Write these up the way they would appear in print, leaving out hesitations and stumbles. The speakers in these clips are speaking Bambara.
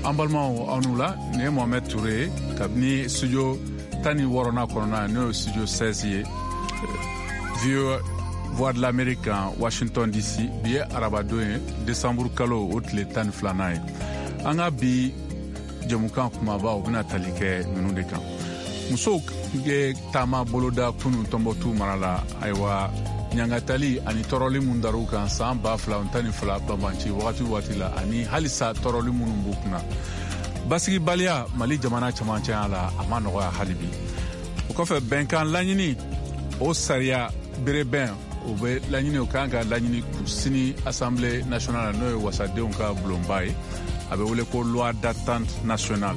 An balimaw, aw n'u la, nin ye Mohamɛd Ture ye kabini studio 16nan kɔnɔna, n'o ye studio 16 ye, VOA, Voix de l'Amérique kan, Washington DC. Bi ye arabadon ye, desanburu kalo o tile 12nan ye. An ka bi jɛmukan kumaba, o bɛna tali kɛ ninnu de kan: musow ye taama boloda kunun Tɔnbɔtu mara la, ayiwa, ɲangatali ani tɔɔrɔli mun dar'u kan san 2012 banbanci wagati waati la, ani halisa tɔɔrɔli minnu b'u kunna. Basigibaliya Mali jamana camancɛya la, a ma nɔgɔya hali bi. O kɔfɛ, bɛnkan laɲini, o sariya berebɛn, o bɛ laɲini, o kan ka laɲini sini Assemblée nationale, n'o ye wasadenw ka bulonba ye, a bɛ wele ko loi d'attente nationale.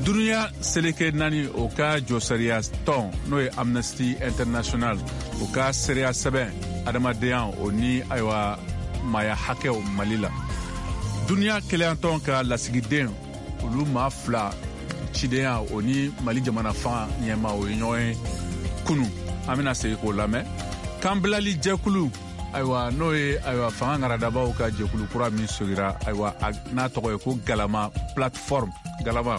Duniya seleke naani o ka jɔsariya tɔn, n'o ye Amnesty International, o ka seereya sɛbɛn adamadenya o ni, ayiwa, maaya hakɛw Mali la. Duniya kelenyatɔn ka lasigiden, olu maa fila cidenya, o ni Mali jamana fanga ɲɛma, o ye ɲɔgɔn ye kunu. An bɛna segin k'o lamɛn. Kanbilali jɛkulu, ayiwa, n'o ye, ayiwa, fanga ŋaradabaw ka jɛkulu kura min sogira, ayiwa, n'a tɔgɔ ye ko Galama Plateforme, Galama,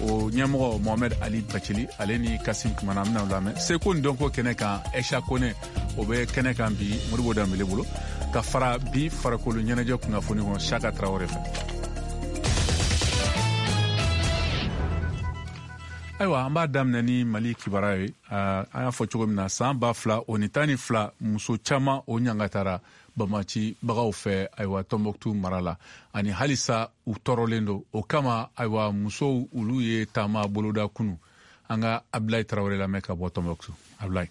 o ɲɛmɔgɔ Mohamɛd Ali Bacili, ale ni Kasim kumana, an bɛna lamɛn. Seko ni dɔnko kɛnɛ kan, Ɛsha Kone, o bɛ kɛnɛ kan bi Modibo Danbele bolo, ka fara bi farikolo ɲɛnajɛ kunnafoni kɔnɔ, Saka Tarawele fɛ. Ayiwa, an b'a daminɛ ni Mali kibaruya ye. An y'a fɔ cogo min na, san 2012, muso caman o ɲangatara bamacibagaw fɛ, ayiwa, Tɔnbɔkutu mara la, ani halisa u tɔɔrɔlen don. O kama, ayiwa, musow, olu ye taama boloda kunu. An ka Abulayi Tarawele lamɛn ka bɔ Tɔnbɔkutu. Abulayi.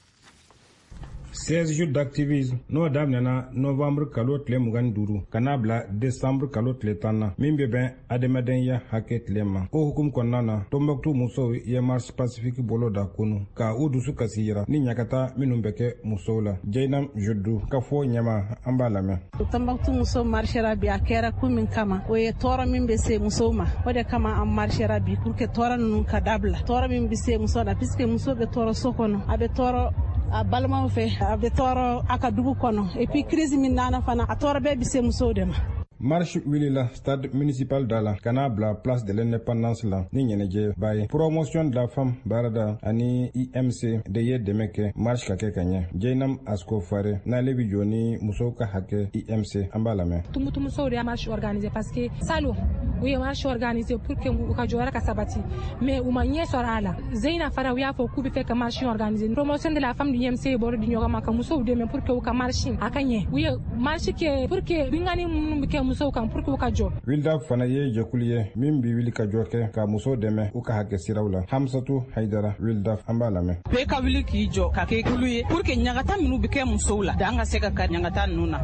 16 jours d'activisme, n'o daminɛna novembre kalo tile 25 ka n'a bila décembre kalo tile 10 na, min bɛ bɛn adamadenya hakɛ tile ma, o hukumu kɔnɔna na, Tɔnbɔkutu musow ye marche pacifique bolo da kunu ka u dusu kasi yira ni ɲagata minnu bɛ kɛ musow la. Jɛnam Jodu ka fɔ ɲɛma, an b'a lamɛn. Tɔnbɔkutu muso marchera bi. A kɛra kun min kama, o ye tɔɔrɔ min bɛ se musow ma, o de kama an marchera bi, pour que tɔɔrɔ ninnu ka dabila, tɔɔrɔ min bɛ se muso la, puisque muso bɛ tɔɔrɔ so kɔnɔ, a bɛ tɔɔrɔ a balimaw fɛ, a bɛ tɔɔrɔ a ka dugu kɔnɔ, et puis crise min nana fana, a tɔɔrɔ bɛɛ bɛ se musow de ma. Marche wulila stade municipal da la ka n'a bila Place de l'Indépendance la ni ɲɛnajɛba ye. Promotion de la Femme baarada ani IMC de ye dɛmɛ kɛ marche ka kɛ ka ɲɛ. Jɛnam Asko Fare, n'ale bi jɔ ni musow ka hakɛ IMC, an b'a lamɛn. Tumutu musow de y'a marche organiser, parce que salon u ye marche organiser pour que u ka jɔyɔrɔ ka sabati, mais u ma ɲɛ sɔrɔ a la. Zeyina fana, u y'a fɔ k'u bɛ fɛ ka marche organiser. Promotion de la Femme du IMC ye baro di ɲɔgɔn ma ka musow dɛmɛ pour que u ka marche a ka ɲɛ. U ye marche kɛ pour que bingani minnu bɛ kɛ musow kan, pour que u ka jɔ. Wildaf fana ye jɛkulu ye min bi wuli ka jɔ kɛ ka musow dɛmɛ u ka hakɛ siraw la. Hamsatu Haidara, Wildaf, an b'a lamɛn. Bɛɛ ka wuli k'i jɔ ka kɛ kulu ye pour que ɲagata minnu bɛ kɛ musow la, dan ka se ka kari ɲagata ninnu na,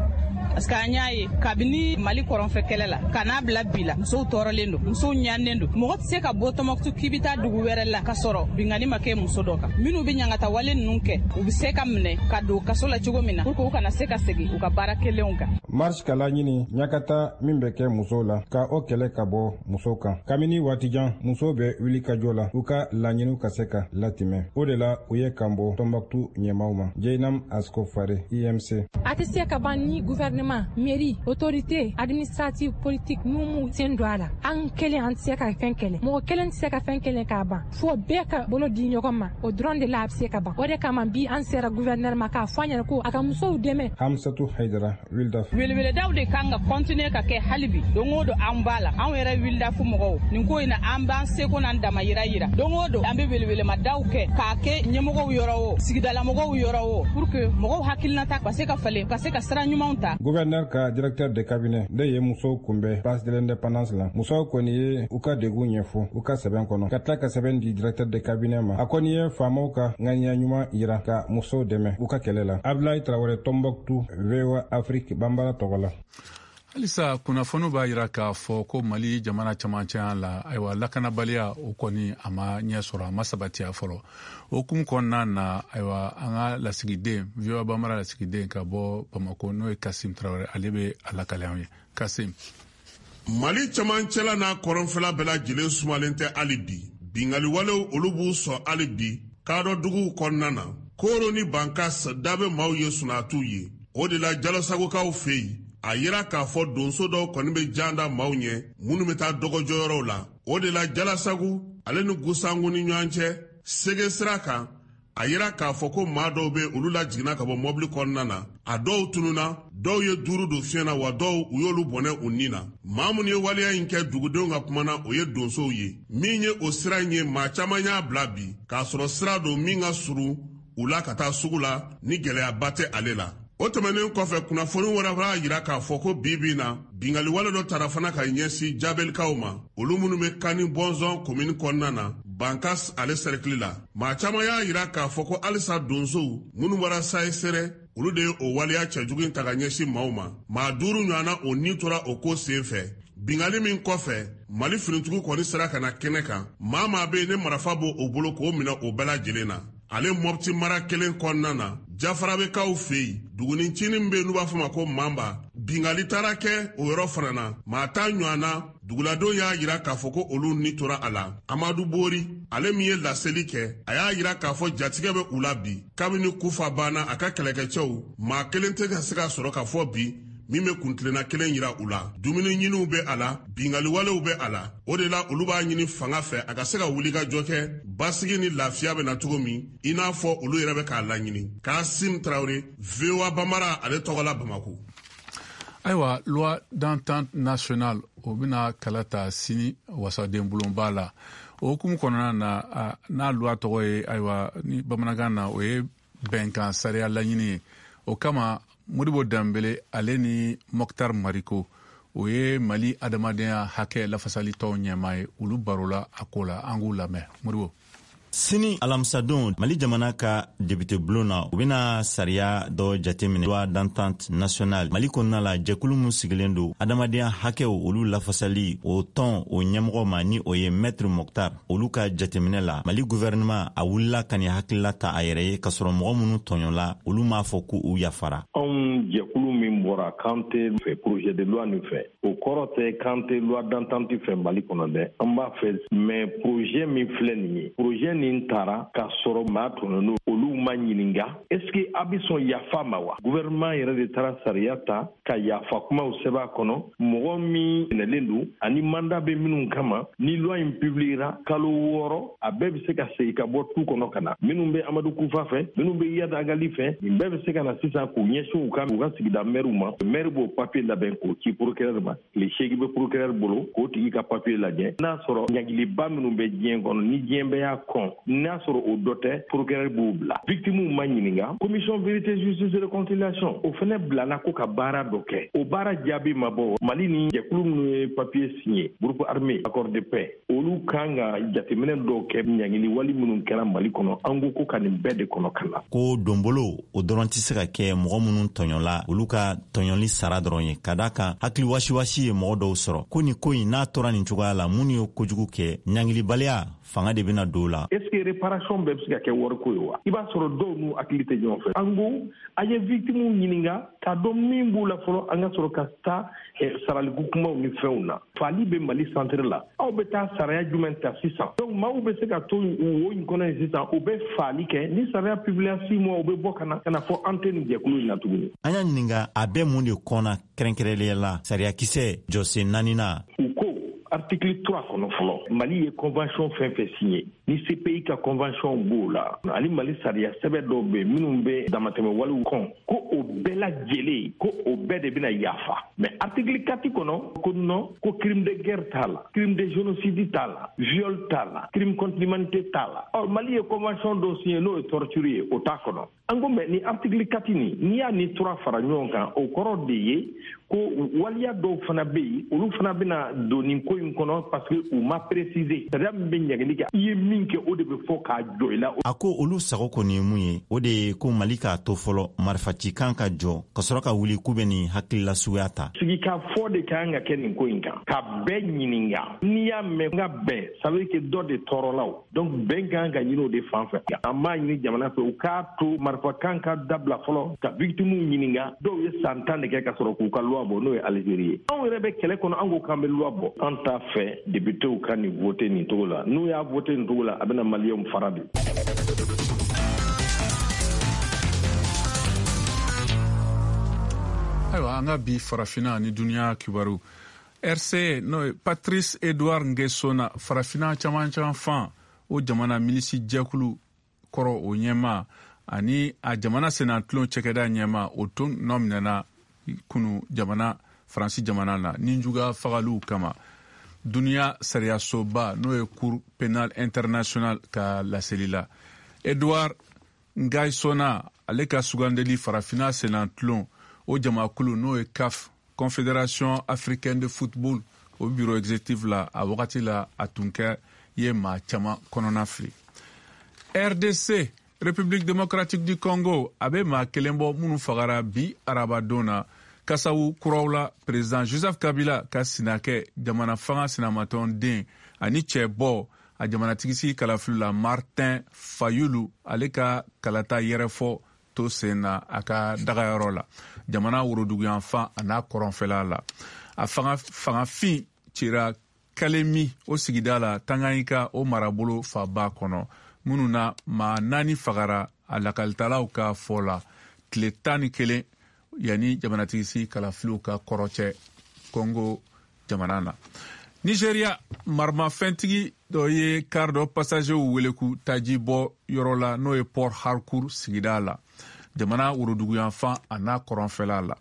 parce que an y'a ye kabini Mali kɔrɔnfɛ kɛlɛ la ka n'a bila bi la, musow tɔɔrɔlen don, musow ɲannen don. Mɔgɔ tɛ se ka bɔ Tɔmɔkutu k'i bɛ taa dugu wɛrɛ la ka sɔrɔ bingani ma kɛ muso dɔ kan. Minnu bɛ ɲangata wale ninnu kɛ, u bɛ se ka minɛ ka don kaso la cogo min na, pour que u kana se ka segin u ka baara kelenw kan. Marche ka laɲini, ɲakata min bɛ kɛ musow la, ka o kɛlɛ ka bɔ musow kan. Kabini waati jan, musow bɛ wuli ka jɔ la u ka laɲiniw ka se ka latimɛ. O de la u ye kan bɔ Tɔnbɔkutu ɲɛmaw ma. Jɛnam Asko Fare, IMC. A tɛ se ka ban ni gouvernement, mairie, autorité administrative, politique n'u m'u sen don a la. An kelen, an tɛ se ka fɛn kɛlɛ, mɔgɔ kelen tɛ se ka fɛn kelen k'a ban, fo bɛɛ ka bolo di ɲɔgɔn ma. O dɔrɔn de la a bɛ se ka ban. O de kama bi an sera gouverneur ma k'a fɔ a ɲɛna ko a ka musow dɛmɛ. Hamsatu Haidara, Wildaf. Weleweledaw de kan ka continuer ka kɛ hali bi. Don o don an b'a la, anw yɛrɛ Wildafu mɔgɔw, nin ko in na, an b'an seko n'an damayira yira. Don o don an bɛ welewelemadaw kɛ k'a kɛ ɲɛmɔgɔw yɔrɔ o, sigidalamɔgɔw yɔrɔ o, pour que mɔgɔw hakilinata ka se ka falen, ka se ka sira ɲumanw ta. Gouverneur ka directeur de cabinet de ye musow kunbɛn Place de l'Indépendance la. Musow kɔni ye u ka degun ɲɛfɔ u ka sɛbɛn kɔnɔ, ka tila ka sɛbɛn di directeur de cabinet ma. A kɔni ye faamaw ka ŋaniya ɲuman yira ka musow dɛmɛ u ka kɛlɛ la. Ablaye Tarawele, Tombouctou, VOA Afrique Bambara tɔgɔ la. Halisa kunnafoniw b'a yira k'a fɔ ko Mali jamana camancɛya la, ayiwa, lakanabaliya, o kɔni a ma ɲɛ sɔrɔ, a ma sabatiya fɔlɔ. O hukumu kɔnɔna na, ayiwa, an ka lasigiden, VOA Bambara lasigiden ka bɔ Bamako, n'o ye Kasim Tarawele, ale bɛ a lakale anw ye. Kasim. Mali camancɛla n'a kɔrɔnfɛla bɛɛ lajɛlen sumalen tɛ hali bi. Bingaliwalew, olu b'u sɔn hali bi kadɔ duguw kɔnɔna na. Koro ni Bankas da bɛ maaw ye, sunatuw ye. O de la, Jalosagokaw fɛ yen. A yira k'a fɔ donso dɔw kɔni bɛ jan da maaw ɲɛ minnu bɛ taa dɔgɔjɔyɔrɔw la. O de la Jalasagu ale ni Gusangu ni ɲɔgɔn cɛ Sege sira kan, a yira k'a fɔ ko maa dɔw bɛ olu lajiginna ka bɔ mɔbili kɔnɔna na. A dɔw tununna, dɔw ye duuru don fiɲɛ na, wa dɔw u y'olu bɔnɛ u ni na. Maa minnu ye waleya in kɛ, dugudenw ka kuma na, o ye donsow ye. Min ye o sira in ye, maa caman y'a bila bi k'a sɔrɔ sira don min ka surun u la ka taa sugu la, ni gɛlɛyaba tɛ ale la. O tɛmɛnen kɔfɛ, kunnafoni wɛrɛ b'a yira k'a fɔ ko bi bi na, binkanni wale dɔ tara fana ka ɲɛsin Jabelikaw ma, olu minnu bɛ Kani Bɔnzɔn komini kɔnɔna na, Bankas ale sɛrɛkili la. Maa caman y'a yira k'a fɔ ko halisa donsow minnu bɔra Sayi Sɛrɛ, olu de ye o waleya cɛjugu in ta ka ɲɛsin maaw ma. Maa 5 ɲɔgɔnna o ni tora o ko sen fɛ. Binkanni min kɔfɛ, Mali finitigiw kɔni sera ka na kɛnɛ kan. Maa maa bɛ yen ne marifa b'o o bolo, k'o minɛ o bɛɛ lajɛlen na. Ale Mɔpti mara kelen kɔnɔna na, Jafarabekaw fɛ yen, dugunicinin min bɛ yen n'u b'a fɔ ma ko Manba, binkanni taara kɛ o yɔrɔ fana na. Maa 10 ɲɔgɔn na, duguladenw y'a yira k'a fɔ ko olu ni tora a la. Amadu Bori, ale min ye laseli kɛ, a y'a yira k'a fɔ jatigɛ bɛ u la bi kabini Kufa banna a ka kɛlɛkɛcɛw. Maa kelen tɛ ka se ka sɔrɔ ka fɔ bi min bɛ kuntilenna kelen yira u la. Dumuni ɲiniw bɛ a la, binkanni walew bɛ a la. O de la olu b'a ɲini fanga fɛ a ka se ka wulikajɔ kɛ, basigi ni lafiya bɛ na cogo min, i n'a fɔ olu yɛrɛ bɛ k'a laɲini. Kasim Tarawele, VOA Bambara ale tɔgɔ la, Bamako. Ayiwa, loi d'entente nationale, o bɛna kala ta sini wasaden bulonba la. O hukumu kɔnɔna na, n'a loi tɔgɔ ye, ayiwa, ni bamanankan na, o ye bɛnkan sariya laɲini ye. O kama, Modibo Danbele ale ni Mɔkitar Mariko, o ye Mali adamadenya hakɛ lafasalitɔnw ɲɛmaa ye, olu barola a ko la. An k'u lamɛn, Modibo. Sini alamisadon, Mali jamana ka député bulon na, u bena sariya dɔ jateminɛ, loi d'entente nationale. Mali kɔnɔna la, jɛkulu min sigilen don adamadenya hakɛw olu lafasali, o tɔn o ɲɛmɔgɔ ma, ni o ye Maître Moctar, olu ka jateminɛ la, Mali gouvernement a wulila ka nin hakilila ta a yɛrɛ ye, k'a sɔrɔ mɔgɔ minnu tɔɲɔla, olu m'a fɔ ko u yafara. Anw jɛkulu min bɔra k'an tɛ fɛ projet de loi nin fɛ, o kɔrɔ tɛ k'an tɛ loi d'entente fɛ Mali kɔnɔ dɛ. An b'a fɛ, mais projet min filɛ nin ye, projet nin taara k'a sɔrɔ maa tɔɲɔn'o, olu ma ɲininka est ce que a bɛ sɔn yafa ma wa. Gouvernement yɛrɛ de taara sariya ta ka yafa kumaw sɛbɛn a kɔnɔ. Mɔgɔ min minɛlen don ani mandat bɛ minnu kama, ni loi in publiera, kalo 6, a bɛɛ bɛ se ka segin ka bɔ tu kɔnɔ ka na. Minnu bɛ Amadu Kufa fɛ, minnu bɛ Iyad Ag Ghali fɛ, nin bɛɛ bɛ se ka na sisan k'u ɲɛsin u ka sigida mɛriw ma. Maire b'o papier labɛn k'o ci procureur ma. Tile 8 bɛ procureur bolo k'o tigi ka papier lajɛ. N'a sɔrɔ ɲangiliba minnu bɛ diɲɛ kɔnɔ, ni diɲɛ bɛɛ y'a kɔn, n'a sɔrɔ o dɔ tɛ, procureur b'o bila. Victimes ma ɲininka. Commission vérité, justice, réconciliation, o fɛnɛ bilala ko ka baara dɔ kɛ, o baara jaabi ma bɔ. Mali ni jɛkulu minnu ye papier signé, groupe armé, accord de paix, olu kan ka jateminɛ dɔw kɛ ɲangili wali minnu kɛra Mali kɔnɔ. An ko ko ka nin bɛɛ de kɔnɔ ka na. Ko donbolo o dɔrɔn tɛ se ka kɛ mɔgɔ minnu tɔɲɔla, olu ka tɔɲɔli sara dɔrɔn ye, ka da kan hakili wasiwasi ye mɔgɔ dɔw sɔrɔ, ko nin ko in n'a tora nin cogoya la, minnu ye kojugu kɛ, ɲangilibaliya fanga de bɛna don la. Est ce que réparation bɛɛ bɛ se ka kɛ wariko ye wa? I b'a sɔrɔ dɔw n'u hakili tɛ ɲɔgɔn fɛ. An ko a ye victimes ɲininka k'a dɔn min b'u la fɔlɔ, an ka sɔrɔ ka taa saraliko kumaw ni fɛnw na. Fali bɛ Mali centre la, aw bɛ taa saraya jumɛn ta sisan? Donc maaw bɛ se ka to wo in kɔnɔ yen sisan, u bɛ faali kɛ. Ni sariya publier 6 mois, u bɛ bɔ ka na fɔ an tɛ nin jɛkulu in na tuguni. An y'a ɲininka a bɛ mun de kɔnna kɛrɛnkɛrɛnnenya la, sariyakisɛ jɔsen naaninan. U ko article 3 kɔnɔ fɔlɔ, Mali ye convention fɛn fɛn signé, ni CPI ka convention b'o la, ani Mali sariya sɛbɛ dɔw bɛ minnu bɛ damatɛmɛ walew kɔn, ko o bɛɛ lajɛlen, ko o bɛɛ de bɛna yafa. Mais article 4 kɔnɔ, ko non, ko crime de guerre t'a la, crime de génocide t'a la, viol t'a la, crime contre l'humanité t'a la. Ɔ, Mali ye convention dɔw signé, n'o ye torture ye, o t'a kɔnɔ. An ko mais ni article 4 nin, n'i y'a ni 3 fara ɲɔgɔn kan, o kɔrɔ de ye ko waliya dɔw fana bɛ yen, olu fana bɛna don nin ko in kɔnɔ, parce que u ma préciser. Sariya min bɛ ɲangili kɛ, i ye min kɛ, o de bɛ fɔ k'a jɔ i la. A ko olu sago kɔni ye mun ye, o de ye ko Mali k'a to fɔlɔ marifacikan ka jɔ, ka sɔrɔ ka wuli k'u bɛ nin hakilila suguya ta. Sigikafɔ de kan ka kɛ nin ko in kan, ka bɛɛ ɲininka. N'i y'a mɛn n ka bɛn, ça veut dire que dɔ de tɔɔrɔla o. Donc bɛn kan ka ɲini o de fan fɛ. An b'a ɲini jamana fɛ, u k'a to marifakan ka dabila fɔlɔ, ka victimes ɲininka. Dɔw ye san 10 de kɛ ka sɔrɔ k'u ka loi bɔ, n'o ye Algérie ye. Anw yɛrɛ bɛ kɛlɛ kɔnɔ, an ko k'an bɛ loi bɔ. An t'a fɛ députéw ka nin voter nin cogo la. N'u y'a voter nin cogo la, a bɛna Maliyɛnw fara de. Ayiwa, an ka bi Farafina ni duniya kibaru. RC, n'o ye Patrice Edouard Nguesona, Farafina caman fan o jamana milisi jɛkulu kɔrɔ o ɲɛma ani a jamana senatulon cɛkɛda ɲɛma, o tun nɔ minɛna kunu jamana Faransi jamana na ninjuga fagaliw kama, duniya sariyasoba n'o ye Cour pénale internationale ka laseli la. Edouard Ngaissona, ale ka sugandeli Farafina senatulon o jamakulu n'o ye CAF, Confédération africaine de football, o bureau exécutif la, a wagati la a tun kɛ ye maa caman kɔnɔna fili. RDC, République démocratique du Congo, a bɛ maa kelen bɔ minnu fagara bi arabadon na kasawu kuraw la. Président Joseph Kabila ka sinakɛ, jamana fanga sinamatɔn den ani cɛ bɔ a jamanatigisigi kalafili la, Martin Fayulu, ale ka kalata yɛrɛfɔ to sen na a ka dagayɔrɔ la jamana woroduguyanfan a n'a kɔrɔnfɛla la. A fangafin cira Kalemi o sigida la, Tanganyika o marabolo faba kɔnɔ, minnu na maa 4 fagara, a lakalitalaw ka fɔ la, tile 11 yanni jamanatigisigi kalafiliw ka kɔrɔcɛ Congo jamana na. Nigeria, maramafɛntigi dɔ ye kar dɔ passagerw wele k'u taji bɔ yɔrɔ la, n'o ye Port Harcourt sigida la, jamana woroduguyanfan a n'a kɔrɔnfɛla la.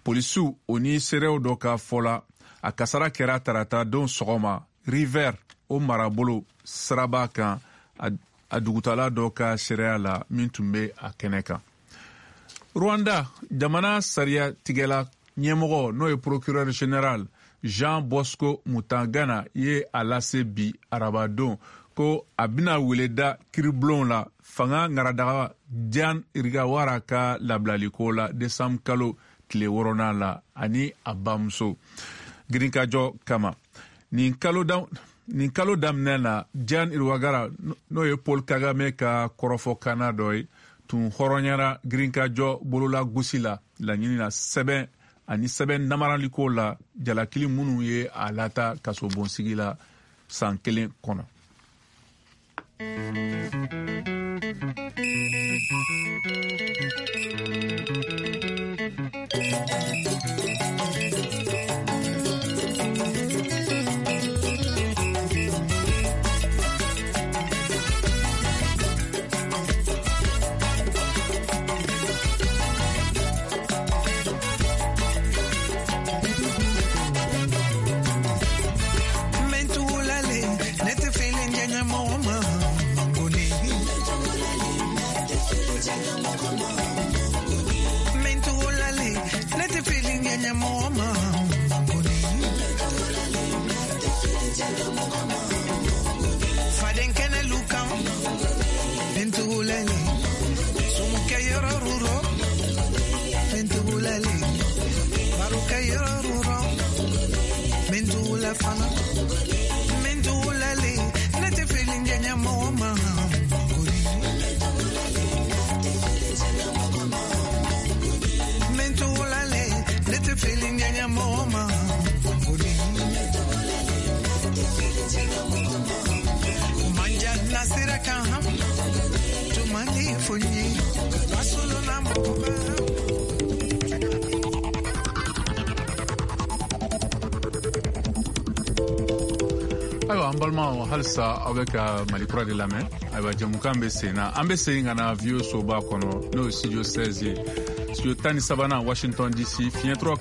Polisiw o ni seerew dɔ ka fɔ la, a kasara kɛra tarata don sɔgɔma River o marabolo siraba kan, a dugutala dɔ ka seereya la min tun bɛ a kɛnɛ kan. Rwanda jamana sariya tigɛla ɲɛmɔgɔ, n'o ye procureur général Jean Bosco Mutangana ye a lase bi arabadon ko a bɛna wele da kiribulon la fanga ŋaradaga Diane Rwigara ka labilaliko la desanburu kalo tile 6nan la ani a bamuso girinkajɔ kama. Nin kalo daminɛ na, Diane Rwigara, n'o ye Paul Kagame ka kɔrɔfɔkanna dɔ ye, tun hɔrɔnyara girinkajɔ bolola gosi la laɲini na sɛbɛn ani sɛbɛn namaraliko la, jalakili minnu ye a lata kasobonsigi la san 1 kɔnɔ. Ayiwa, an balimaw, halisa aw bɛ ka Mali Kura de lamɛn. Ayiwa, jɛmukan bɛ sen na. An bɛ segin ka na VOA soba kɔnɔ, n'o ye studio 16 ye, studio 13nan, Washington DC, fiɲɛtɔrɔ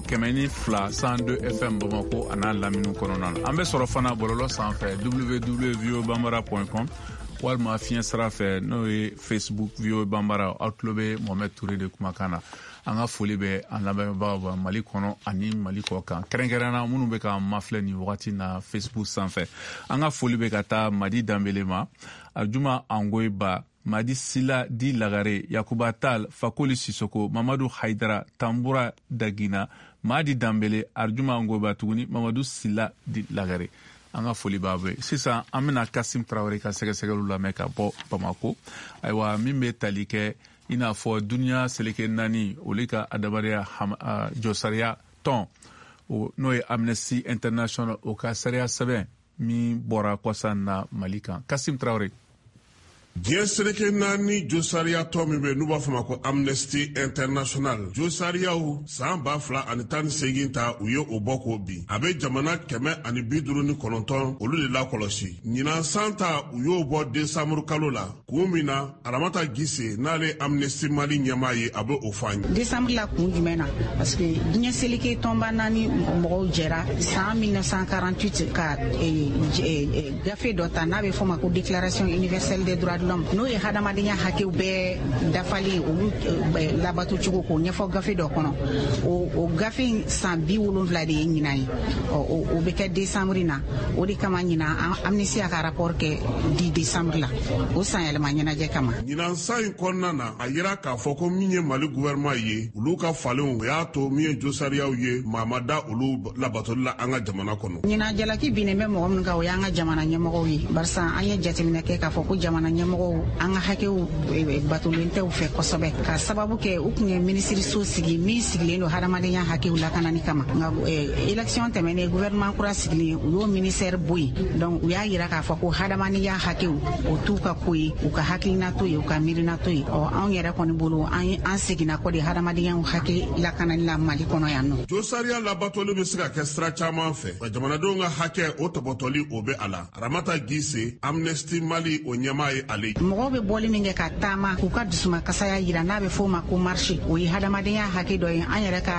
102 102 FM Bamako a n'a lamini kɔnɔna na. An bɛ sɔrɔ fana bɔlɔlɔ sanfɛ, www.voabambara.com, walima fiɲɛ sira fɛ, n'o ye Facebook VOA Bambara. Aw tulo bɛ Mohamed Touré de kumakan na. An ka foli bɛ an lamɛnbagaw Mali kɔnɔ ani Mali kɔ kan, kɛrɛnkɛrɛnna minnu bɛ k'an mafilɛ nin wagati na Facebook sanfɛ. An ka foli bɛ ka taa Madi Danbele ma, Arjuma Angoyiba, Madi Sila di Lagare, Yakuba Tal, Fakoli Sisoko, Mamadu Haidara, Tambura Dagina, Madi Danbele, Arjuma Angoyiba tuguni, Mamadu Sila di Lagare. An ka foli b'a bɛɛ. Sisan an bɛna Kasim Tarawele ka sɛgɛsɛgɛliw lamɛn ka bɔ Bamako. Ayiwa, min bɛ tali kɛ i n'a fɔ duniya seleke 4 olu ka adamadenya jɔsariya tɔn, n'o ye Amnesty International, o ka sariya sɛbɛn min bɔra kɔsan na Mali kan. Kasim Tarawele. Diɲɛ seleke naani josariya tɔn min bɛ n'u b'a fɔ ma ko Amnesty International, josariyaw san 2018 ta, u ye o bɔ k'o bin. A bɛ jamana 159 olu de lakɔlɔsi. Ɲinan san ta, u y'o bɔ desanburu kalo la. Kun min na, Aramata Gise, n'ale Amnesty Mali ɲɛmaa ye, a bɛ o fɔ an ye. Desanburu la, kun jumɛn na? Parce que diɲɛ seleke tɔnba naani mɔgɔw jɛra san 1948 ka gafe dɔ ta n'a bɛ fɔ ma ko Déclaration universelle des droits de l'homme, n'o ye hadamadenya hakɛw bɛɛ dafalen, olu labato cogo k'o ɲɛfɔ gafe dɔ kɔnɔ. O gafe in san 70 de ye ɲinan ye. O bɛ kɛ desanburu na. O de kama ɲinan, Amnesty y'a ka rapport kɛ 10 décembre la, o san yɛlɛma ɲɛnajɛ kama. Ɲinan san in kɔnɔna na, a yira k'a fɔ ko min ye Mali gouvernement ye, olu ka falenw, o y'a to min ye josariyaw ye, maa ma da olu labatoli la an ka jamana kɔnɔ. Ɲinan, jalaki binnen bɛ mɔgɔ minnu kan, o y'an ka jamana ɲɛmɔgɔw ye, barisa an ye jateminɛ kɛ k'a fɔ ko jamana ɲɛmɔgɔw, an ka hakɛw batolen tɛ u fɛ kosɛbɛ, ka sababu kɛ u tun ye minisiriso sigi min sigilen don hadamadenya hakɛw lakanani kama. Nka élection tɛmɛnen, gouvernement kura sigilen, u y'o ministère bɔ yen. Donc u y'a yira k'a fɔ ko hadamadenya hakɛw, o t'u ka ko ye, u ka hakilina to ye, u ka miirina to ye. Ɔ, anw yɛrɛ kɔni bolo, an seginna kɔ de hadamadenya hakɛ lakanani la Mali kɔnɔ yan nɔ. Josariya labatoli bɛ se ka kɛ sira caman fɛ, nka jamanadenw ka hakɛ o tɔbɔtɔli, o bɛ a la. Aramata Gise, Amnesty Mali o ɲɛmaa ye ale. Mɔgɔw bɛ bɔli min kɛ ka taama k'u ka dusuma kasaya yira, n'a bɛ f'o ma ko marche, o ye hadamadenya hakɛ dɔ ye. An yɛrɛ ka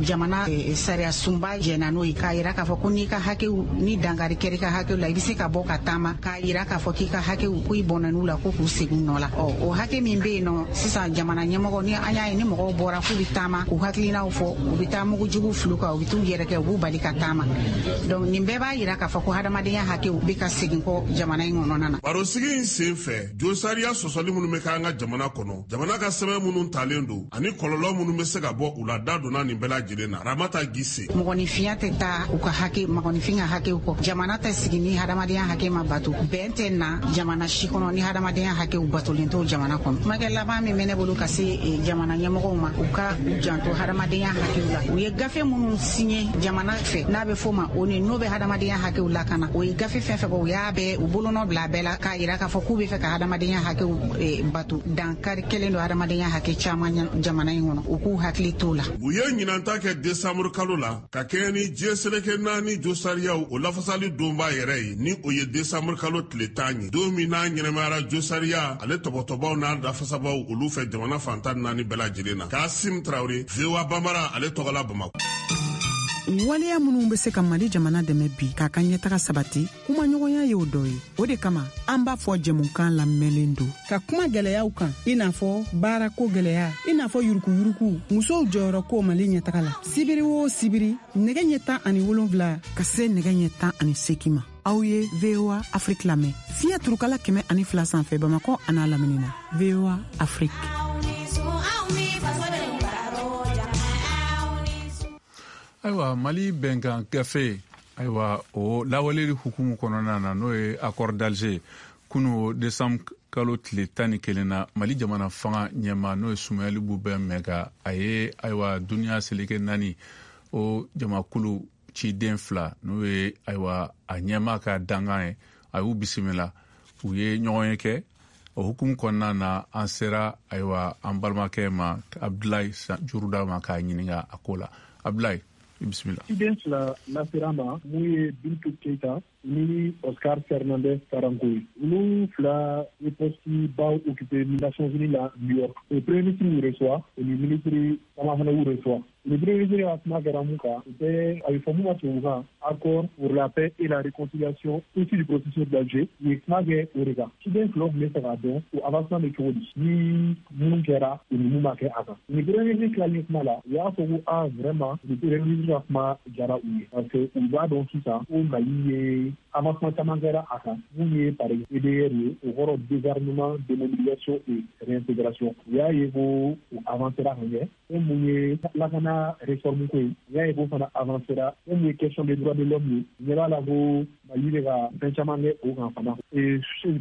jamana sariya sunba jɛna n'o ye, k'a yira k'a fɔ ko n'i ka hakɛw ni dankari kɛra i ka hakɛw la, i bɛ se ka bɔ ka taama k'a yira k'a fɔ k'i ka hakɛw, ko i bɔnɛn'u la, ko k'u segin nɔ la. Ɔ, o hakɛ min bɛ yen nɔ sisan, jamana ɲɛmɔgɔ ni an y'a ye ni mɔgɔw bɔra k'u bɛ taama k'u hakilinaw fɔ, u bɛ taa mugujugu fili kan, u bɛ t'u yɛrɛ kɛ, u b'u bali ka taama. Donc nin bɛɛ b'a yira k'a fɔ ko hadamadenya hakɛw bɛ ka segin kɔ jamana in kɔnɔna na. Barosigi in sen fɛ, josariya sɔsɔli minnu bɛ kɛ an ka jamana kɔnɔ, jamana ka sɛbɛn minnu talen don ani kɔlɔlɔ minnu bɛ se ka bɔ u la, da donna nin bɛɛ lajɛlen na. Ramata Gise. Mɔgɔninfinya tɛ taa u ka hakɛ, mɔgɔninfin ka hakɛw kɔ. Jamana tɛ sigi ni hadamadenya hakɛ ma bato. Bɛn tɛ na jamana si kɔnɔ ni hadamadenya hakɛw batolen t'o jamana kɔnɔ. Kumakɛ laban min bɛ ne bolo ka se jamana ɲɛmɔgɔw ma, u ka u janto hadamadenya hakɛw la. U ye gafe minnu signé jamana fɛ, n'a bɛ f'o ma ONU, n'o bɛ hadamadenya hakɛw lakana, o ye gafe fɛn fɛn bɔ, u y'a bɛɛ u bolonɔ bila a bɛɛ la k'a yira k'a fɔ k'u bɛ fɛ ka hadamadenya hakɛw bato. Dankari kɛlen don hadamadenya hakɛ caman jamana in kɔnɔ, u k'u hakili t'o la. U ye ɲinanta kɛ desanburu kalo la ka kɛɲɛ ni diɲɛ seleke naani josariyaw o lafasali donba yɛrɛ ye, ni o ye desanburu kalo tile 10 ye, don min n'a ɲɛnɛmayara josariya ale tɔbɔtɔbaw n'a lafasabaw olu fɛ jamana fantan naani bɛɛ lajɛlen na. Kasim Tarawele, VOA Bambara ale tɔgɔla, Bamakɔ. Waleya minnu bɛ se ka Mali jamana dɛmɛ bi k'a ka ɲɛtaga sabati, kumaɲɔgɔnya y'o dɔ ye. O de kama an b'a fɔ jɛmukan lamɛnlen don ka kuma gwɛlɛyaw kan, i n'a fɔ baarako gwɛlɛya, i n'a fɔ yurukuyuruku, musow jɔyɔrɔ ko Mali ɲɛtaga la. Sibiri o sibiri, nɛgɛ ɲɛ 17 ka se nɛgɛ ɲɛ 18 ma, aw ye VOA Afrique lamɛn fiɲɛ turukala 102 sanfɛ, Bamakɔ an'a lamini na. VOA Afrique. Ayiwa, Mali bɛnkan gafe, ayiwa, o lawaleli hukumu kɔnɔna na, n'o ye accord d'Alger, kunu décembre kalo tile 11 na, Mali jamana fanga ɲɛma, n'o ye Sumayɛli Bubɛ Mɛga, a ye, ayiwa, duniya seleke naani o jamakulu ciden fila, n'o ye, ayiwa, a ɲɛma ka dangan ye, a y'u bisimila, u ye ɲɔgɔn ye kɛ. O hukumu kɔnɔna na, an sera, ayiwa, an balimakɛ ma, Abdulayi Juruda ma, k'a ɲininka a ko la. Abdulayi, i bisimila. Ciden fila lasera ma, mun ye Bintu Keita ni Oscar Fernandez Taranco ye. Olu fila ye poste baw occupé Nations Unies la New York. O premier ministre y'u reçoit, o ni ministre caman fana y'u reçoit. Le premier ministre ka kuma kɛra mun kan? O bɛɛ a bɛ fɔ mun ma tubabukan accord pour la paix et la réconciliation issu du processus d'Alger. U ye kuma kɛ o de kan. Ciden filaw tun bɛ fɛ k'a dɔn o avancement bɛ cogo di, ni mun kɛra o ni mun ma kɛ a kan. Ni premier ministre tilalen kuma la, u y'a fɔ ko ah, vraiment, ni premier ministre ka kuma diyara u ye, parce que u b'a dɔn sisan ko Mali ye avancement caman kɛra a kan. Mun ye par exemple DDR ye, o kɔrɔ désarmement, démobilisation et réintégration, u y'a ye ko u avancera ka ɲɛ. Fɛn mun ye lakana réforme ko ye, u y'a ye ko fana avancera. Fɛn mun ye question des droits de l'homme ye, u ɲɛ b'a la ko Mali bɛ ka fɛn caman kɛ o kan fana.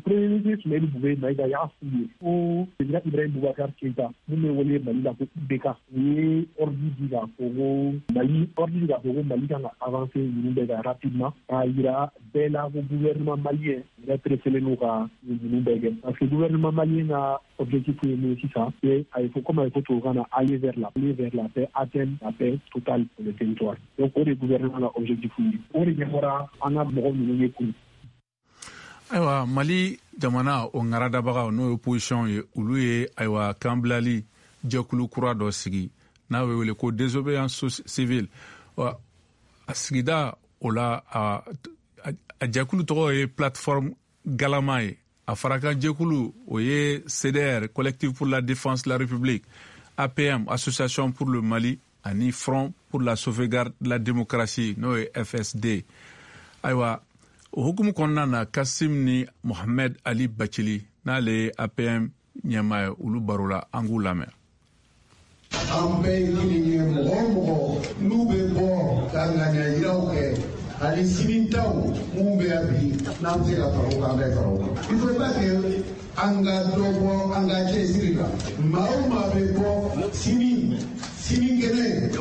Premier ministre Soumaïla Boubèye Maïga y'a f'u ye ko président Ibrahim Boubacar Keïta, mun bɛ wele Mali la ko IBK, u ye ordre di k'a fɔ ko Mali, ordre di k'a fɔ ko Mali kan ka avancer ninnu bɛɛ kan rapidement, k'a yira bɛɛ la ko gouvernement malien yɛrɛ pressélen don ka ninnu bɛɛ kɛ, parce que gouvernement malien ka objectif ye mun ye sisan, c'est a ye fɔ, comme a ye fɔ tubabukan na, aller vers la paix, atteindre la paix totale pour le territoire. Donc o de gouvernement ka objectif ye, o de ɲɛfɔra an ka mɔgɔ ninnu ye kun. Ayiwa, Mali jamana o ŋaradabagaw, n'o ye opposition ye, olu ye ayiwa kanbilali jɛkulu kura dɔ sigi n'a bɛ wele ko Désobéissance civile. A sigida o la, a jɛkulu tɔgɔ ye Plateforme Galama ye. A farakan jɛkulu, o ye CDR, Collectif pour la défense de la République, APM, Association pour le Mali, ani Front pour la sauvegarde de la démocratie, n'o ye FSD. Ayiwa, o hukumu kɔnɔna na, Kasim ni Mohamed Ali Bacili, n'ale ye APM ɲɛmaa ye, olu barola, an k'u lamɛn. An bɛɛ ye kelen ye. Mɔgɔ o mɔgɔ n'u bɛ bɔ ka ŋaniya yiraw kɛ, ani sini taw mun bɛ yan bi, n'an bɛ se ka fara o kan, an bɛ fara o kan. Il faut pas que an ka dɔ bɔ an ka cɛsiri la. Maa o maa bɛ bɔ sini, sinikɛnɛ,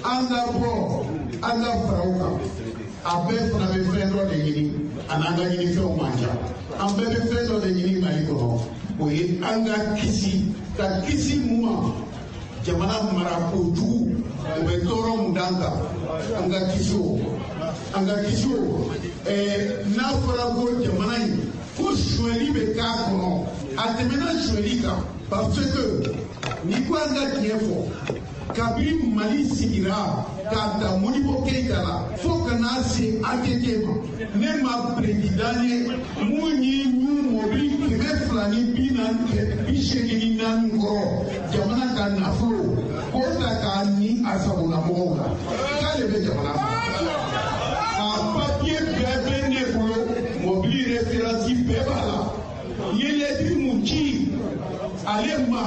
an ka bɔ, an ka fara o kan. A bɛɛ fana bɛ fɛn dɔ de ɲini, a n'an ka ɲinifɛnw man ca. An bɛɛ bɛ fɛn dɔ de ɲini Mali kɔnɔ, o ye an ka kisi, ka kisi mun ma? Jamana mara kojugu, o bɛ tɔɔrɔ mun d'an kan, an ka kisi o, an ka kisi o. N'a fɔra ko jamana in ko sonyɛli bɛ k'a kɔnɔ, a tɛmɛna sonyɛli kan, parce que n'i ko an ka tiɲɛ fɔ, kabini Mali sigira k'a ta Modibo Keyita la fo ka n'a se ATT ma, ne ma président ye mun ye ɲu mɔbili 244 kɔrɔ, jamana ka nafolo k'o ta k'a ni a sagonamɔgɔw la, k'ale bɛ jamana mara. A papiye bɛɛ bɛ ne bolo, mɔbili référence bɛɛ b'a la. N ye lɛtiri mun ci ale ma,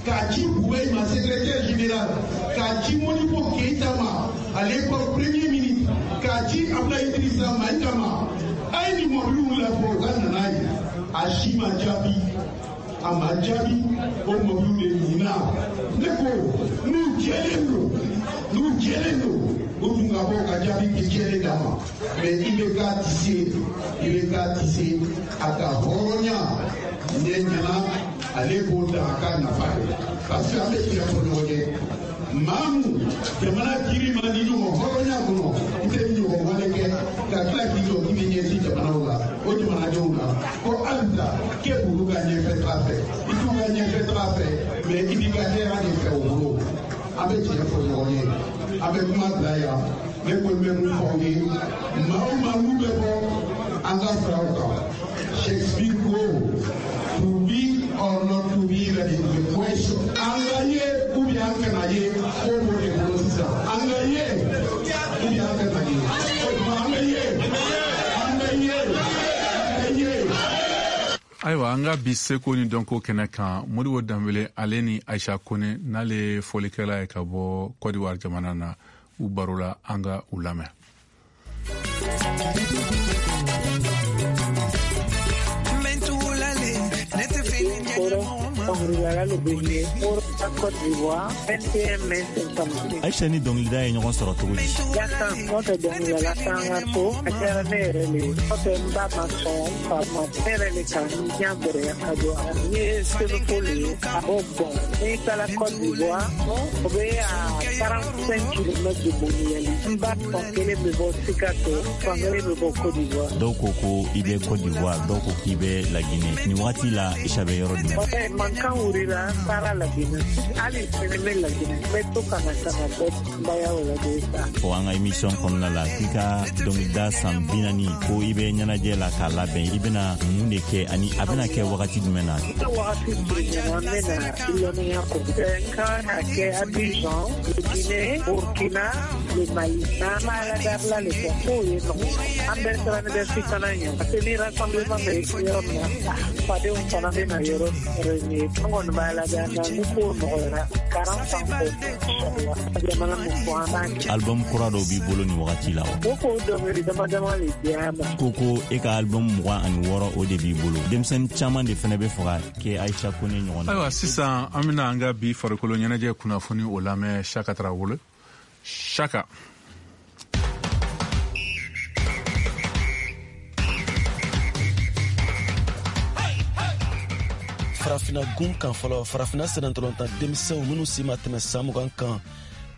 k'a ci Boubèye ma, secrétaire général, k'a ci Modibo Keyita ma, à l'époque premier ministre, k'a ci Abdoulaye Idrissa Maïga ma, a ye nin mɔbiliw labɔ, u ka na n'a ye, a si ma jaabi, a ma jaabi. O mɔbiliw de ɲina. Ne ko n'u jɛlen don, n'u jɛlen don, u dun ka bɔ ka jaabi k'i jɛlen d'a ma. Mais IBK tɛ se, IBK tɛ se a ka hɔrɔnya ne ɲɛna, ale b'o da a ka nafa ye, parce que an bɛ tiɲɛ fɔ ɲɔgɔn ye. Maa mun jamana kiri ma ni ɲɔgɔn hɔrɔnya kɔnɔ, i tɛ ɲɔgɔn wale kɛ ka tila k'i jɔ k'i bɛ ɲɛsin jamanaw la, o jamanadenw la, ko halisa k'e b'olu ka ɲɛfɛ taga fɛ. I t'u ka ɲɛfɛ taga fɛ, mais i b'i ka hɛrɛ de fɛ o bolo. An bɛ tiɲɛ fɔ ɲɔgɔn ye. An bɛ kuma bila yan. Ne kɔni bɛ mun fɔ aw ye, maa o maa n'u bɛ bɔ, an ka fara o kan. Shakespeare ko "to be or not to be, that is the question". An ka ye ou bien an kana ye, ko b'o de bolo sisan. An ka ye ou bien an kana ye, o tuma an ka ye, an ka ye, an ka ye. Ayiwa, an ka bi seko ni dɔnko kɛnɛ kan, Modibo Danbele, ale ni Aisha Kone, n'ale ye fɔlikɛla ye ka bɔ Kɔdiwari jamana na, u baro la, an ka u lamɛn. Côte d'Ivoire, 21 mai 56. Aisha ni dɔnkilida ye ɲɔgɔn sɔrɔ cogo di? Yasan n'o tɛ dɔnkilidala t'an ka so, a kɛra ne yɛrɛ le ye. N'o tɛ n ba ma sɔn, n fa ma, ne yɛrɛ le ka n diya gɛrɛya ka don a la. N ye Senufo le ye ka bɔ Bɔn. N'i taara Côte d'Ivoire, o bɛ à 45 km de Boni Yali. N ba fan kelen bɛ bɔ Sikaso, fan kelen bɛ bɔ Côte d'Ivoire. Dɔw ko ko i bɛ Côte d'Ivoire, dɔw ko k'i bɛ Laginɛ. Nin wagati la, Aisha bɛ yɔrɔ jumɛn? Mankan wulila, n taara Laginɛ. Hali sini n bɛ Laginɛ. N bɛ to ka na ka na bɔ denbayaw lajɛ sa. Fɔ an ka émission kɔnɔna la k'i ka dɔnkilida san 40 ko i bɛ ɲɛnajɛ la k'a labɛn, i bɛna mun de kɛ ani a bɛna kɛ wagati jumɛn na? N ka wagati surunyana, n bɛna lɔnniya ko. N kan ka kɛ Abidjan, le Guinée, Burkina, le Mali. N'an b'a la dabila le fɔ k'o ye nɔgɔ. An bɛɛ siranni bɛ fitana ɲɛ. Parce que ni rassemblement bɛ yɔrɔ min na, fadenw fana bɛ na yɔrɔ réunion. An kɔni b'a labɛn na ni ko nɔgɔ. nɔgɔyara 40 ans kɔ inchallah jamana min fɔ an b'a kɛ. Album kura dɔw b'i bolo nin wagati la wa? O k'o dɔnkili dama dama de diya ma. Ko e ka album 26 o de b'i bolo. Denmisɛnnin caman de fɛnɛ bɛ fɛ ka kɛ Aïcha Kone ɲɔgɔn na. Ayiwa, sisan an bɛna an ka bi farikolo ɲɛnajɛ kunnafoni o lamɛn Saka Tarawele. Saka. Farafina gun kan fɔlɔ, farafina sennantolatan denmisɛnw minnu si ma tɛmɛ san 20 kan,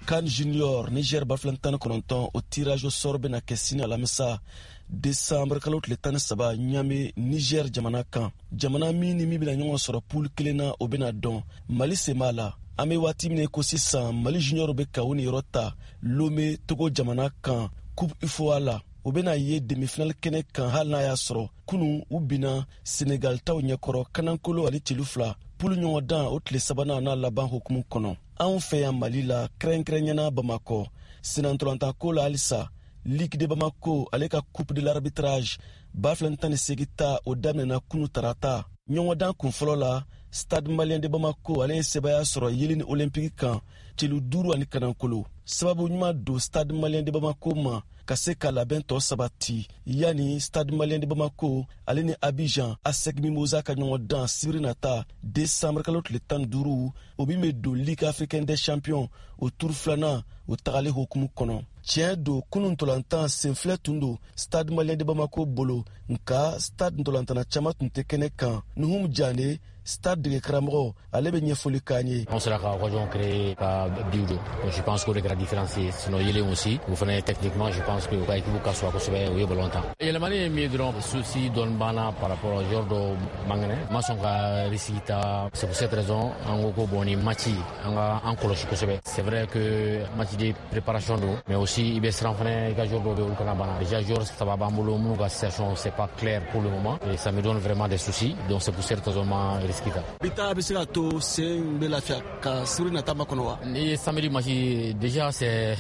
CAN Junior Niger 2019, o tirage au sort bɛna kɛ sini alamisa décembre kalo tile 13 Ɲame, Niger jamana kan. Jamana min ni min bɛna ɲɔgɔn sɔrɔ poule kelen na, o bɛna dɔn. Mali sen b'a la. An bɛ waati min ko sisan, Mali junior bɛ ka u niyɔrɔ ta Lome, Togo jamana kan, Coupe UFOA la. U bɛna ye demi-finale kɛnɛ kan, hali n'a y'a sɔrɔ kunu u binna Senegal taw ɲɛkɔrɔ kanankolo ani celu 2, poule ɲɔgɔndan o tile sabanan n'a laban hukumu kɔnɔ. Anw fɛ yan Mali la, kɛrɛnkɛrɛnyana Bamakɔ, sennantolatan la halisa, Ligue de Bamako ale ka Coupe de l'arbitrage 2018 ta, o daminɛna kunu tarata. Ɲɔgɔndan kunfɔlɔ la, Stade Malien de Bamako ale ye sebaya sɔrɔ Yeleni Olympique kan celu 5 ani kanankolo. Sababu ɲuman don Stade Malien de Bamako ma ka se ka labɛn tɔ sabati yanni Stade Malien de Bamako ale ni Abidjan ASEC Mimosa ka ɲɔgɔn dan sibiri nata décembre kalo tile 15, o min bɛ don Ligue africaine des champions o tour filanan o tagali hukumu kɔnɔ. Tiɲɛ don, kunun ntolantan senfilɛ tun don Stade Malien de Bamako bolo, nka Stade ntolantana caman tun tɛ kɛnɛ kan. Nuhum Jane, Stade dege karamɔgɔ, ale bɛ ɲɛfɔli k'an ye. An sera ka occasion créer ka but don. Je pense qu'o de kɛra différence ye. Sinon Yelen aussi, o fana techniquement, je pense que u ka équipe ka sɔrɔ kosɛbɛ, u ye ballon tan. Yɛlɛmani ye min ye dɔrɔn, souci dɔɔni b'an na par rapport au joueur dɔw man kɛnɛ. Ma sɔn ka risque ta. C'est pour cette raison an ko bon, ni match an ka an kɔlɔsi kosɛbɛ. C'est vrai que match de préparation don, mais aussi i bɛ siran fana i ka joueur dɔw bɛ olu kana bana. Déjà joueur saba b'an bolo minnu ka situation c'est pas clair pour le moment et ça me donne vraiment des soucis. Donc c'est pour cette raison ma risque ta. Bi ta bɛ se ka to sen bɛ lafiya ka sibiri nata makɔnɔ wa? Ni samedi match déjà c'est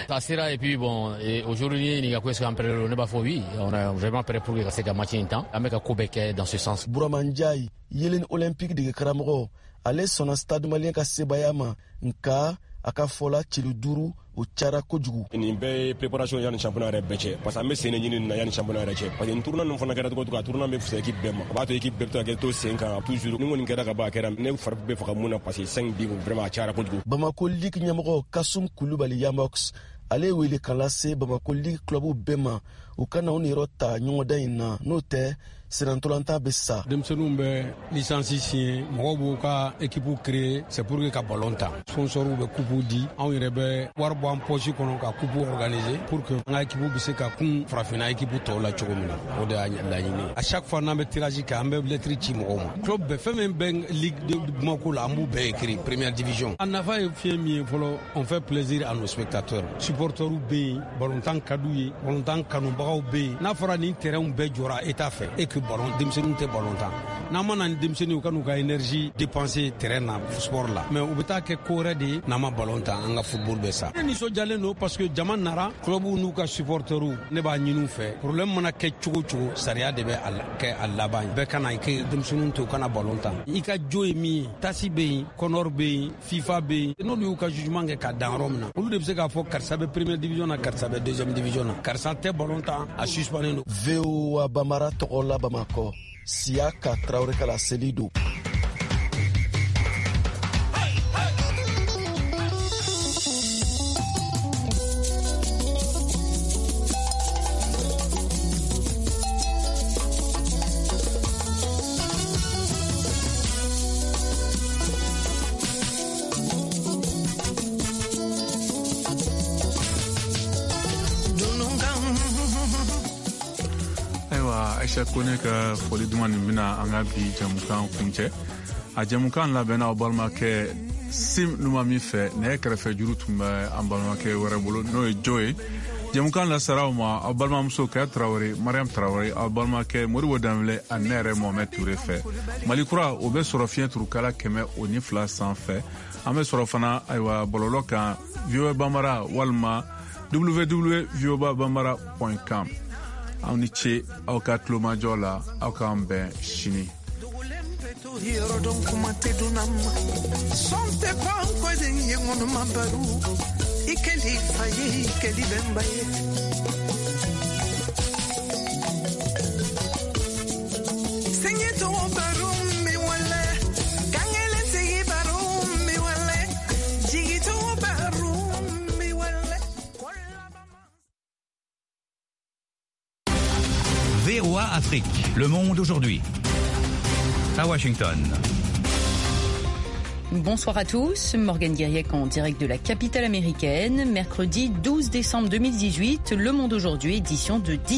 ça sera et puis bon, et aujourd'hui ɲininka ko est-ce qu'an prêt ne b'a fɔ oui, on est vraiment prêt pour que ka se ka match in tan. An bɛ ka ko bɛɛ kɛ dans ce sens. Burama Ndiaye, Yelen Olympique dege karamɔgɔ, ale sɔnna Stade Malien ka sebaya ma, nka a ka fɔla celu 5 o cayara kojugu. Nin bɛɛ ye préparation yanni championnat yɛrɛ bɛɛ cɛ, parce que an bɛ sen de ɲini nin na yanni championnat yɛrɛ cɛ, parce que nin tournoi ninnu fana kɛra cogo cogo, a tournoi bɛ fisaya équipe bɛɛ ma, a b'a to équipe bɛɛ bɛ to ka kɛ to sen kan toujours. Ni kɔni kɛra ka ban, a kɛra ne fari bɛ faga mun na, parce que 5 buts vraiment a cayara kojugu. Bamako Ligue ɲɛmɔgɔ Kasum Kulubali Yamox, ale ye wele kan lase Bamako Ligue club bɛɛ ma, u ka na u niyɔrɔ ta ɲɔgɔndan in na, n'o tɛ sennantolatan bɛ sa. Denmisɛnninw bɛ licence signé, mɔgɔw b'u ka équipe créer, c'est pour que ka ballon ta. Sponsors bɛ coupe di, anw yɛrɛ bɛ wari bɔ an poche kɔnɔ ka coupe organiser pour que an ka équipe bɛ se ka kun farafinna équipe tɔw la cogo min na. O de y'a laɲini. À chaque fois n'an bɛ tirage kɛ, an bɛ lettre ci mɔgɔw ma. Club bɛɛ, fɛn min bɛ Ligue de Bamako la, an b'u bɛɛ écrit première division. A nafa ye fɛn min ye fɔlɔ, on fait plaisir à nos spectateurs. Supporters bɛ yen, ballon ka d'u ye, ballon kanubagaw bɛ yen. N'a fɔra nin terrain bɛɛ jɔra État fɛ et que ballon denmisɛnninw tɛ ballon tan, n'an ma na ni denmisɛnninw ka n'u ka énergie dépenser terrain na sport la, mais u bɛ taa kɛ ko wɛrɛ de ye. N'an ma ballon tan, an ka football bɛ sa. Ne nisɔndiyalen don parce que jama nara, club n'u ka supporters. Ne b'a ɲini u fɛ, problème mana kɛ cogo cogo, sariya de bɛ a kɛ a laban ye. Bɛɛ kana i kɛ denmisɛnninw to u kana ballon tan. I ka jo ye min ye, TAS bɛ yen, CONOR bɛ yen, FIFA bɛ yen, n'olu y'u ka jugement kɛ ka dan yɔrɔ min na, olu de bɛ se k'a fɔ karisa bɛ première division na, karisa bɛ deuxième division na, karisa tɛ ballon tan, a suspendu don. VOA Bambara tɔgɔ la Bamakɔ, Siyaka Tarawele ka laseli don. Aïcha Kone ka foli duman nin bɛna an ka bi jamukan kuncɛ. A jamukan labɛnna aw balimakɛ Sim Numa min fɛ, nɛgɛ kɛrɛfɛ juru tun bɛ an balimakɛ wɛrɛ bolo, n'o ye Jo ye. Jamukan lasara aw ma aw balimamuso Kaya Tarawele, Mariam Tarawele, aw balimakɛ Modibo Danbele ani ne yɛrɛ Mohamed Toure fɛ. Mali kura o bɛ sɔrɔ fiɲɛ turukala 102 sanfɛ. An bɛ sɔrɔ fana ayiwa bɔlɔlɔ kan VOA Bambara walima www.voabambara.com. Aw ni ce aw ka tulomajɔ la, aw k'an bɛn sini. Yɔrɔ dɔn kuma tɛ dunan ma sɔn tɛ pan kɔden ye ŋɔnɔma baro i kɛli fa ye i kɛli bɛnba ye. Sɛŋɛ tɔgɔ baro mi wale kankelen sigi baro mi wale jigi tɔgɔ baro mi wale. VOA Afrique, le monde aujourd'hui. À Washington. Bonsoir à tous, Morgane Guiriec en direct de la capitale américaine. Mercredi 12 décembre 2018, Le Monde aujourd'hui, édition de 10.